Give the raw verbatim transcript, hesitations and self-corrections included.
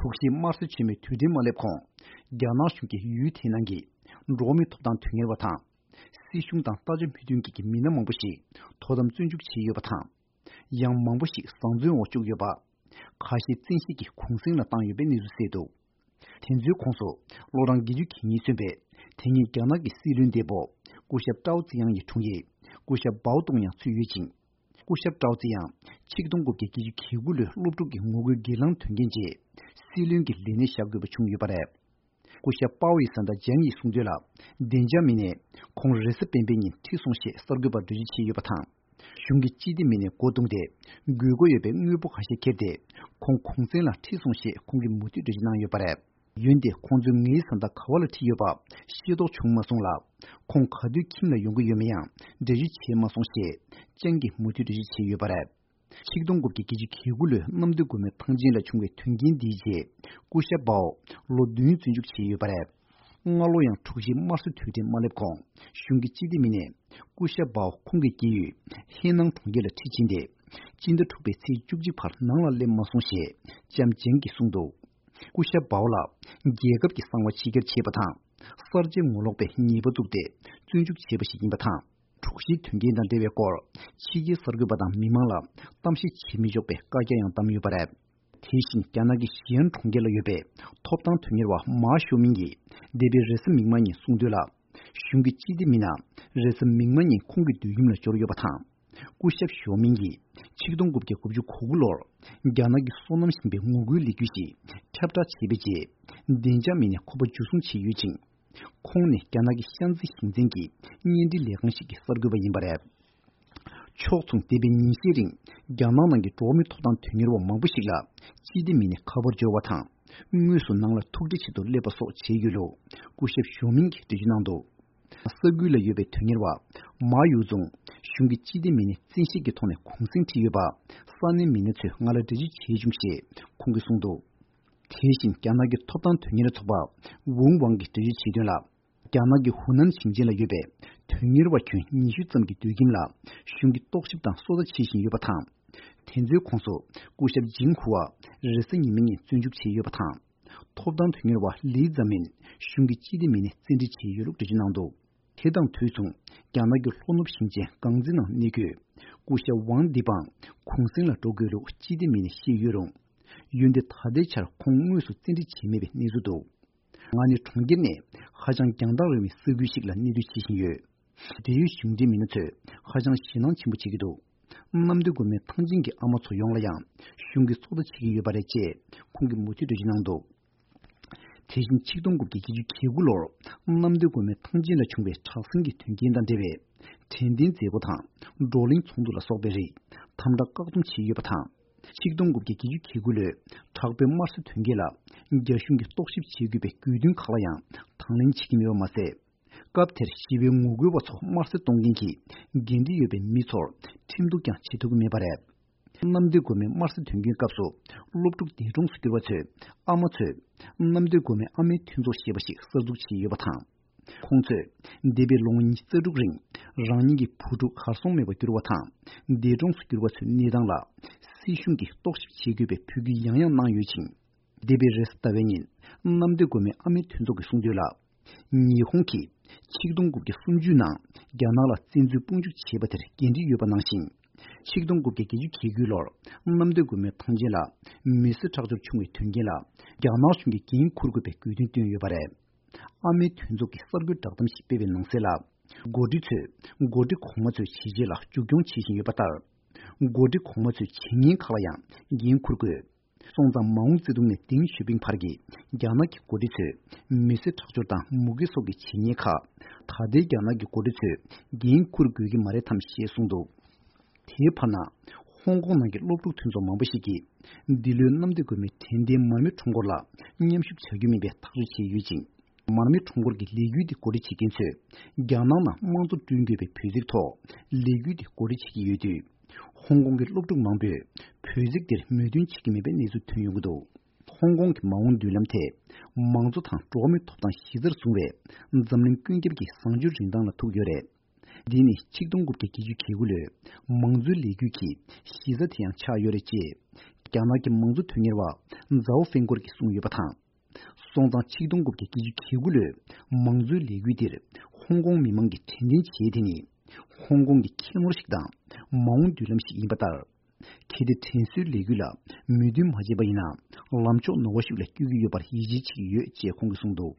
དྲུག་བཞིའི་དམར་གསོད་ཆེན་མོའི་དུས་དྲན་མ་སླེབས་གོང་། རྒྱ་ནག་གཞུང་གིས་ཡུལ་དེའི་ནང་གི་འགྲོ་བ་མིའི་ཐོབ་ཐང་དོན་གཉེར་བ་དང་། སྲིད་གཞུང་དང་ལྟ་བྱ་མོས་མཐུན་གྱི་མི་སྣ་མང་པོ་ཞིག་དོ་དམ་བཙོན་འཇུག་བྱས་ཡོད་པ་དང་། ཡང་མང་པོ་ཞིག་བཟང་བཙོན་འོག་བཅུག་ཡོད་པ། ཁ་ཤས་བཙན་ཤེད་ཀྱིས་གུང་གསེང་ལ་བཏང་ཡོད་པའི་གནས་ཚུལ་གསལ་འདུག་དེ་ཚོའི་ཁོངས་སུ་ལོ་གྲངས་བརྒྱད་ཅུ་གྱ་གཉིས་སོན་པའི་དེ་སྔའི་རྒྱ་ནག་གི་སྲིད་བློན་འདས་པོ་སྐུ་ཞབས་ཀྲའོ་ཙི་དབྱང་ཡི་དྲུང་ཡིག་སྐུ་ཞབས་པའོ་ཏུང་ཡང་ཚུད་ཡོད་ཅིང་། སྐུ་ཞབས་ཀྲའོ་ཙི་དབྱང་ཆིག་སྟོང་དགུ་བརྒྱ་བརྒྱད་ཅུ་གྱ་དགུ་ལོའི་སློབ་ཕྲུག་གི་ངོ་རྒོལ་སྒེར་ལངས་དོན་རྐྱེན་རྗེས་སྲིད་བློན་གྱི་ལས་གནས་བཞག་དགོས་པ་བྱུང་ཡོད་པ་རེད། སྐུ་ཞབས་པའོ་ཡི་བཟའ་ཟླ་ཇང་ཡིས་གསུངས་དོན་ལ། བདེ་འཇགས་མི་སྣས་ཁོང་རེས་གཟའ་སྤེན་པའི་ཉིན་ཁྲིད་སོང་ཞེས་གསར་འགོད་པར་འགྲེལ་བརྗོད་བྱས་ཡོད་པ་དང་། གཞུང་གི་སྤྱི་བདེ་མི་སྣས་སྒོ་བརྡུངས་ཏེ། དགོས་མཁོ་ཡོད་པའི་དངོས་པོ་ཁ་ཤས་ཁྱེར་ཏེ། ཁོང་གུང་གསེང་ལ་ཁྲིད་སོང་ཞེས་ཁོང་གིས་མུ་མཐུད་འགྲེལ་བརྗོད་གནང་ཡོད་པ་རེད། འོན་ཏེ་ཁོང་ཚོས་ངའི་བཟའ་ཟླ་ག་བ་ལ་ཁྲིད་ཡོད་པ་ཤེས་རྟོགས་བྱུང་མ་སོང་ལ། ཁོང་ག་དུས་ཁྱིམ་ལ་ཡོང་གི་ཡོད་མེད་ཡང་འགྲེལ་བརྗོད་བྱས་མ་སོང་ཞེས་ཅང་གིས་མུ་མཐུད་འགྲེལ་བརྗོད་བྱས་ཡོད་པ་རེད། ཆིག་སྟོང་དགུ་བརྒྱ་བརྒྱད་ཅུ་གྱ་དགུ་ལོའི་གནམ་བདེ་སྒོ་མོའི་ཐང་ཆེན་ལ་བྱུང་བའི་དོན་རྐྱེན་འདིའི་རྗེས། སྐུ་ཞབས་པའོ་ལོ་བདུན་བཙོན་འཇུག་བྱས་ཡོད་པ་རེད། སྔ་ལོ་ཡང་དྲུག་བཞིའི་དམར་གསོད་དུས་དྲན་མ་སླེབས་གོང་། གཞུང་གི་སྤྱི་བདེ་མི་སྣས་སྐུ་ཞབས་པའོ་ཁོང་གི་སྐྱེས་ཡུལ་ཧེ་ནང་གྲོང་ཁྱེར་ལ་ཁྲིད་ཕྱིན་ཏེ། སྤྱི་ཟླ་དྲུག་པའི་ཚེས་བཅུ་གཅིག་བར་ནང་ལ་སླེབས་མ་སོང་ཞེས་ལྕམ་ཇེང་གིས་གསུངས་འདུག་སྐུ་ཞབས་པའོ་ལ་རྒྱལ་ཁབ་ཀྱི་གསང་བ་ཕྱི་གྱར་བྱས་པ་དང་། གསར་བརྗེ་ངོ་ལོག་པའི་ཉེས་པ་བཙུགས་ཏེ་བཙོན་འཇུག་བྱས་པ་ཞིག་ཡིན་པ་དང་། དྲུག་བཞིའི་དོན་རྐྱེན་དང་འབྲེལ་བའི་སྐོར་ཕྱི་རྒྱལ་གསར་འགོད་པ་དང་མི་མང་ལ་གཏམ་བཤད་བྱེད་མི་ཆོག་པའི་བཀའ་རྒྱ་ཡང་བསྡམས་ཡོད་པ་རེད། དེ་བཞིན་རྒྱ་ནག་གི་ཞི་ཨན་གྲོང་ཁྱེར་ལ་ཡོད་པའི་ཐོབ་ཐང་དོན་གཉེར་བ་མཱ་ཞོ་མིང་གིས་འདས་པའི་རེས་གཟའ་མིག་དམར་ཉིན་གསུངས་དོན་ལ། གཞུང་གི་སྤྱི་བདེ་མི་སྣ་རེས་གཟའ་མིག་དམར་ཉིན་ཁོང་གི་སྡོད་ཁྱིམ་ལ་འབྱོར་ཡོད་པ་དང་། སྐུ་ཞབས་ཞོ་མིང་གིས་ཆིག་སྟོང་དགུ་བརྒྱ་དགུ་བཅུ་གོ་དགུ་ལོར་རྒྱ་ནག་གི་སོ་ནམ་ཞིང་པའི་ངོ་རྒོལ་ལས་འགུལ་ཞིག་ཁྱབ་བསྒྲགས་བྱས་པའི་རྗེས། བདེ་འཇགས་མི་སྣས་ཁོ་པ་འཇུ་བཟུང་བྱས་ཡོད་ཅིང་། ཁོང་ནི་རྒྱ་ནག་གི་ཤན་ཙི་ཞིང་ཆེན་གྱི་བརྙན་འཕྲིན་ལས་ཁང་ཞིག་གི་གསར་འགོད་པ་ཡིན་པ་རེད། ཕྱོགས་མཚུངས། འདས་པའི་ཉིན་ཤས་རིང་རྒྱ་ནག་ནང་གི་འགྲོ་བ་མིའི་ཐོབ་ཐང་དོན་གཉེར་བ་མང་པོ་ཞིག་ལ་སྤྱི་བདེ་མི་སྣས་ཁ་པར་འབྱོར་བ་དང་། དངོས་སུ་ནང་ལ་ཐུག་འཕྲད་བྱེད་དུ་སླེབས་པ་སོགས་བྱས་ཡོད་ལུགས་སྐུ་ཞབས་ཞོ་མིང་གིས་འགྲེལ་བརྗོད་གནང་འདུག་ས་ཁུལ་ལ་ཡོད་པའི་དོན་གཉེར་བ་མཱ་ཡུའུ་ཙུང་གཞུང་གི་སྤྱི་བདེ་མི་སྣས་བཙན་ཤེད་ཀྱི་ཐོག་ནས་གུང་གསེང་ཁྲིད་ཡོད་པ་ས་གནས་མི་སྣ་ཚོས་ང་ལ་འགྲེལ་བརྗོད་བྱས་བྱུང་ཞེས་ཁོང་གིས་གསུངས་འདུག་དེ་བཞིན་རྒྱ་ནག་གི་ཐོབ་ཐང་དོན་གཉེར་ཚོགས་པ་ཝུང་ཝང་གིས་འགྲེལ་བརྗོད་བྱས་དོན་ལ། རྒྱ་ནག་གི་ཧུ་ནན་ཞིང་ཆེན་ལ་ཡོད་པའི་དོན་གཉེར་བ་ཁྱོན་ཉི་ཤུ་ཙམ་གྱི་སྡོད་ཁྱིམ་ལ་གཞུང་གིས་རྟོག་ཞིབ་དང་སོ་ལྟ་བྱེད་བཞིན་ཡོད་པ་དང་། དེ་ཚོའི་ཁོངས་སུ་སྐུ་ཞབས་ཇིང་ཧུ་ཝ་རེས་གཟའ་ཉི་མའི་ཉིན་བཙོན་འཇུག་བྱས་ཡོད་པ་དང་། ཐོབ་ཐང་དོན་གཉེར་བ་ལི་ཛ་མིན་གཞུང་གི་སྤྱི་བདེ་མི་སྣས་བཙན་ཁྲིད་བྱས་ཡོད་ལུགས་འགྲེལ་བརྗོད་གནང་འདུག་དེ་དང་དུས་མཚུངས། རྒྱ་ནག་གི་ལྷོ་ནུབ་ཞིང་ཆེན་ཀང་ཙི་ནང་གནས་འཁོད་སྐུ་ཞབས་ཝང་ཏི་པང་གུང་གསེང་ལ་འགྲོ་དགོས་ལུགས་སྤྱི་བདེ་མི་སྣས་བཤད་ཡོད་རུང་། འོན་ཏེ་ད་ལྟའི་ཆར་ཁོང་དངོས་སུ་བཙན་ཁྲིད་བྱས་མེད་པའི་གནས་ཚུལ་འདུག་ང་ནི་གྲོང་ཁྱེར་ནས་ཧ་ཅང་རྒྱང་ཐག་རིང་བའི་ས་ཁུལ་ཞིག་ལ་གནས་སྡོད་བྱེད་བཞིན་ཡོད། འབྲེལ་ཡོད་གཞུང་འབྲེལ་མི་སྣ་ཚོས་ཧ་ཅང་ཞེད་སྣང་ཆེན་པོ་བྱེད་ཀྱི་འདུག་གནམ་བདེ་སྒོ་མོའི་ཐང་ཆེན་གྱི་ཨ་མ་ཚོ་ཡོངས་ལ་ཡང་གཞུང་གིས་ཚོད་ལྟ་བྱེད་ཀྱི་ཡོད་པ་རེད་ཅེས་ཁོང་གིས་མུ་མཐུད་འགྲེལ་བརྗོད་གནང་འདུག་དེ་བཞིན་ཆིག་སྟོང་དགུ་བརྒྱ་བརྒྱད་ཅུ་གྱ་དགུ་ལོར་གནམ་བདེ་སྒོ་མོའི་ཐང་ཆེན་ལ་བྱུང་བའི་དྲག་ཟིང་གི་དོན་རྐྱེན་དང་འབྲེལ་བའི་དྲན་རྟེན་མཛད་སྒོ་དང་བགྲོ་གླེང་ཚོགས་འདུ་ལ་སོགས་པའི་རིགས་དམ་དྲག་བཀག་སྡོམ་བྱས་ཡོད་པ་དང་། ཆིག་སྟོང་དགུ་བརྒྱ་བརྒྱད་ཅུ་གྱ་དགུ་ལོའི་དྲག་པོའི་དམར་གསོད་དོན་རྐྱེན་ལ་རྒྱ་གཞུང་གིས་རྟོག་ཞིབ་བྱེད་དགོས་པའི་དགོས་འདུན་ཁག་ལ་ཡང་དང་ལེན་བྱེད་ཀྱི་མེད་པ་མ་ཟད། སྐབས་དེར་ཞི་བའི་ངོ་རྒོལ་བ་ཚོ་དམར་གསོད་གཏོང་མཁན་གྱི་འགན་འཁྲི་ཡོད་པའི་མི་ཚོར་ཁྲིམས་གཏུག་ཀྱང་བྱེད་ཐུབ་ཀྱི་མེད་པ་རེད། གནམ་བདེ་སྒོ་མོའི་དམར་གསོད་དོན་རྐྱེན་སྐབས་སུ་སློབ་ཕྲུག་འདས་གྲོངས་སུ་གྱུར་བ་ཚོའི་ཨ་མ་ཚོས་གནམ་བདེ་སྒོ་མོའི་ཨ་མའི་མཐུན་ཚོགས་ཞེས་པ་ཞིག་གསར་འཛུགས་བྱས་ཡོད་པ་དང་། ཁོང་ཚོས་འདས་པའི་ལོ་ངོ་ཉི་ཤུ་རྩ་དྲུག་རིང་རང་ཉིད་ཀྱི་བུ་ཕྲུག་གར་སོང་མེད་པར་གྱུར་བ་དང་འདས་གྲོངས་སུ་གྱུར་བ་ཚོའི་གནས་སྟངས་ལ་སྲིད་གཞུང་གིས་རྟོག་ཞིབ་བྱེད་དགོས་པའི་འབོད་སྐུལ་ཡང་ཡང་གནང་ཡོད་ཅིང་། འདས་པའི་རེས་གཟའ་ཟླ་བའི་ཉིན་གནམ་བདེ་སྒོ་མོའི་ཨ་མའི་མཐུན་ཚོགས་ཀྱིས་གསུངས་དོན་ལ། ཉི་ཧོང་གིས་ཆིག་སྟོང་དགུ་བརྒྱ་སུམ་ཅུ་ནང་རྒྱ་ནག་ལ་བཙན་འཛུལ་དཔུང་འཇུག་བྱས་པ་དེར་འགན་འཁྲི་ཡོད་པ་ནང་བཞིན། ཆིག་སྟོང་དགུ་བརྒྱ་བརྒྱད་ཅུ་གྱ་དགུ་ལོར་གནམ་བདེ་སྒོ་མོའི་ཐང་ཆེན་ལ་མི་སེར་ཁྲག་སྦྱོར་བྱུང་བའི་དོན་རྐྱེན་ལ་རྒྱ་ནག་གཞུང་གིས་འགན་འཁུར་དགོས་པའི་དགོས་འདུན་བཏོན་ཡོད་པ་རེད། ཨ་མའི་མཐུན་ཚོགས་ཀྱིས་གསར་འགོད་བསྒྲགས་གཏམ་ཞིག་སྤེལ་བའི་ནང་གསལ་ལ། འགོ་ཁྲིད་ཚོས་འགོ་ཁྲིད་གོང་མ་ཚོའི་བྱས་རྗེས་ལ་མཇུག་སྐྱོང་བྱེད་བཞིན་ཡོད་པ་ལྟར། འགོ་ཁྲིད་གོང་མ་ཚོའི་བྱས་ཉེས་ཁག་ལ་ཡང་འགན་འཁུར་དགོས། སོང་ཙང་མའོ་ཙེ་ཏུང་ནས་ཏེང་ཞའོ་ཕིང་བར་གྱི་རྒྱ་ནག་གི་འགོ་ཁྲིད་ཚོས་མི་སེར་ཁྲག་སྦྱོར་དང་མུ་གེ་སོགས་ཀྱི་བྱས་ཉེས་ཁག་ད་ལྟའི་རྒྱ་ནག་གི་འགོ་ཁྲིད་ཚོས་འགན་འཁུར་དགོས་ཀྱི་མ་རེད་དམ་ཞེས་གསུངས་འདུག་དེའི་བར་ན། ཧོང་ཀོང་ནང་གི་སློབ་ཕྲུག་མཐུན་ཚོགས་མང་པོ་ཞིག་གིས། འདི་ལོའི་གནམ་བདེ་སྒོ་མོའི་དྲན་རྟེན་མར་མེ་ཁྲོམ་སྐོར་ལ་མཉམ་ཞུགས་བྱ་རྒྱུ་མིན་པའི་ཐག་གཅོད་བྱས་ཡོད་ཅིང་། མར་མེ་ཁྲོམ་སྐོར་གྱི་ལས་འགུལ་འདི་འགོ་ཁྲིད་བྱེད་མཁན་ཚོས། རྒྱ་ནག་ནང་དམངས་གཙོ་བསྐྲུན་དགོས་པའི་འབོད་ཚིག་ཐོག་ལས་འགུལ་འདི་འགོ་ཁྲིད་བྱེད་ཀྱི་ཡོད་དུས། ཧོང་ཀོང་གི་སློབ་ཕྲུག་མང་པོས་འབོད་ཚིག་འདིར་མོས་མཐུན་བྱེད་ཀྱི་མེད་པའི་གནས་ཚུལ་ཐོན་ཡོང་གི་འདུག་ཧོང་ཀོང་གི་མ་འོངས་མདུན་ལམ་ཐད། མང་གཙོ་དང་འགྲོ་བ་མིའི་ཐོབ་ཐང་གཞི་རྩར་བཟུང་བའི་འཛམ་གླིང་ཀུན་ཁྱབ་ཀྱི་བཟང་སྤྱོད་རིན་ཐང་ལ་ཐུག་ཡོད་རེད། འདི་ནི་ཆིག་སྟོང་དགུ་བརྒྱ་བརྒྱད་ཅུ་གྱ་དགུ་ལོའི་མང་གཙོའི་ལས་འགུལ་གྱི་གཞི་རྩ་དེ་ཡང་ཆགས་ཡོད་རེད་ཅེས། རྒྱ་ནག་གི་མང་གཙོ་དོན་གཉེར་བ་ཛའོ་ཧྥེང་ཀོར་གྱིས་གསུངས་ཡོད་པ་དང་། སོང་ཙང་ཆིག་སྟོང་དགུ་བརྒྱ་བརྒྱད་ཅུ་གྱ་དགུ་ལོའི་མང་གཙོའི་ལས་འགུལ་འདིར་ཧོང་ཀོང་མི་མང་གིས་དྲན་རྟེན་བྱས་དེ་ནི། ཧོང་ཀོང་གི་ཁྱད་ནོར་ཞིག་དང་མ་འོངས་མདུན་ལམ་ཞིག་ཡིན་པ་ལྟར། གལ་ཏེ་དྲན་གསོའི་ལས་འགུལ་ལ་མོས་མཐུན་མ་བྱས་པ་ཡིན་ན། ལམ་ཕྱོགས་ནོར་བ་ཞིག་ལ་བསྐྱོད་ཀྱི་ཡོད་པར་ཡིད་ཆེས་བྱེད་ཀྱི་ཡོད་ཅེས་ཁོང་གིས་གསུངས་འདུག།